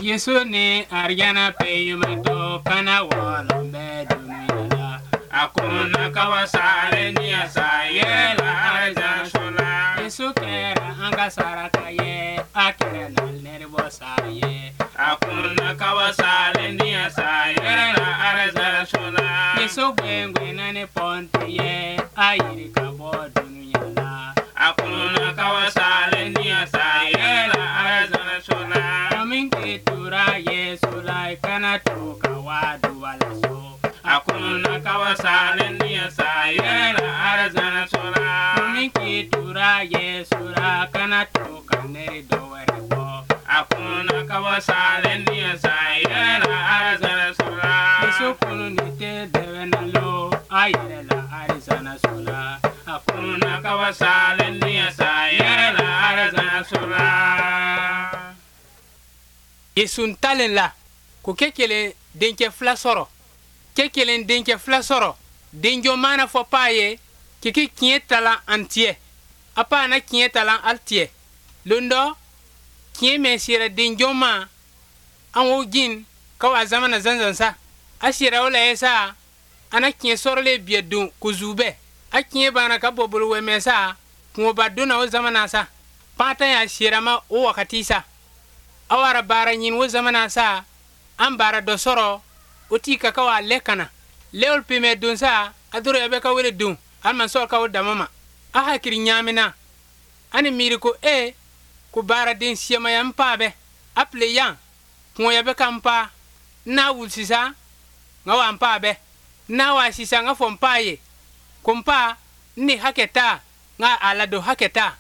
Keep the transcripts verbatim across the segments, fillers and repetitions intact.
Yesu ni arijana peyimatɔ kana wɔlɔn bɛ dunuya la. A kunna kaba salen ni a sa yɛlɛ arijana so la. Yesu kɛra an ka saraka ye, a kɛra na nɛrɛbɔ sa ye. A kunna kaba salen ni a sa yɛlɛ arijana so la. Yesu gwengwenna ni pɔnti ye, a yiri ka bɔ dunuya la. A kunna kaba salen ni a sa yɛlɛ arijana so la. Min k'i tura Yesu la, i kana to ka wa duba la so. A kunna kaba salen ni a sa yɛlɛ arijana so la. Min k'i tura Yesu la, kana to ka neri dɔ wɛrɛ bɔ. A kunna kaba salen ni a sa yɛlɛ arijana so la. Yesu kunu ni tɛ dɛbɛ na lo, a yɛlɛ la arijana so la. A kunna kaba salen ni a sa yɛlɛ arijana so la. Yesu ntalen la ko kɛ kelen denkɛ fila sɔrɔ, kɛ kelen denkɛ fila sɔrɔ. Denjɔ mana fɔ paa ye k'i tiɲɛ talan an tiɲɛ, a paa na tiɲɛ talan al tiɲɛ. Lon dɔ tiɲɛ mɛ sera denjɔ ma, an wo jin ka wa zamana zanzan sa. A sera o la ye sa, ana tiɲɛ sɔrɔlen biɛ don ko zubɛ. A tiɲɛ banna ka bɔ bolo wɛmɛ sa, kungoba donna o zamana sa. Patan y'a sera ma o wakati sa. A wara baara ɲini o zamana sa, an baara dɔ sɔrɔ o t'i ka ka wa lɛ kana lɛwol pemɛ don sa, a doro bɛ ka wele don alima sɔrɔ ka o dama ma. A hakili ɲaamina ani miiri ko e ko baaraden siyamaya n paa bɛ a pile yan kuŋoya bɛ ka n paa. N n'a wuli sisan n ka wa n paa bɛ, n n'a wa sisan n ka fɔ n paa ye ko n paa n ni hakɛ taa n ka a ladon hakɛ taa.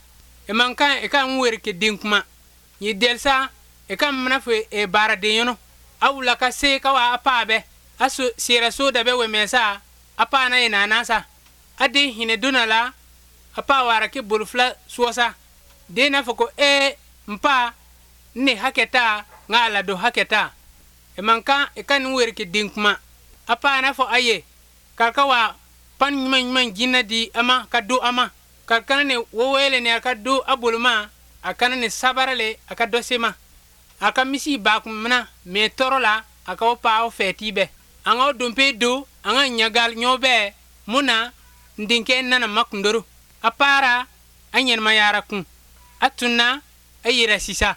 E man kan e ka n weri ke den kuma n ye dɛli sa, e ka mana fɔ e baaraden yɔrɔ. A wula ka se ka wa a paa bɛ, a so sera so da bɛ wɛmɛ sa, a paa na ye nana sa. A den hinɛ donna la, a paa wara ke bolo fila suwa sa. Den n'a fɔ ko ee n paa n ni hakɛ taa n ka a ladon hakɛ taa. E man kan e ka nin weri ke den kuma. A paa n'a fɔ a ye k'a ka wa pan ɲuman ɲuman jinɛ di a ma ka do a ma, ka kana ni wowele ni a ka do a bolo ma, a kana ni sabara le a ka dɔ se ma. A ka misi ba kun mina mɛ tɔɔrɔ la, a ka o paa o fɛti bɛɛ. An ka o donpe do an ka ɲagali ɲɔ bɛɛ mun na n denkɛ nana makundoro. A paara a ɲɛnɛmayara kun, a tunna a yɛrɛ sisa.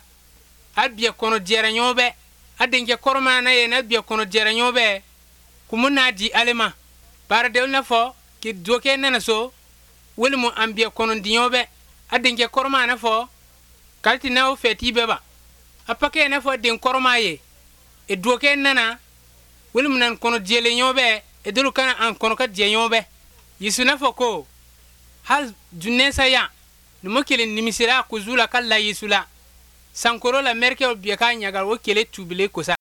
A biɛ kɔnɔ jɛra ɲɔ bɛɛ. A denkɛ kɔrɔma na ye n'a biɛ kɔnɔ jɛra ɲɔ bɛɛ kun mun n'a di ale ma. Baaradenw n'a fɔ k'i dɔkɛ nana so walima an biɛ kɔnɔ di ɲɔ bɛɛ. A denkɛ kɔrɔma n'a fɔ k'ale ti n'aw fɛti bɛɛ ba. A pakɛ n'a fɔ den kɔrɔma ye e dɔkɛ nana walima nan kɔnɔ jɛlen ɲɔ bɛɛ, e dolu kana an kɔnɔ ka jɛ ɲɔ bɛɛ. Yesu n'a fɔ ko hali dunɛsa yan numu kelen nimisira kuzu la ka la Yesu la sankoro la mɛrikɛw biɛ k'a ɲaga o kele tubile kosa.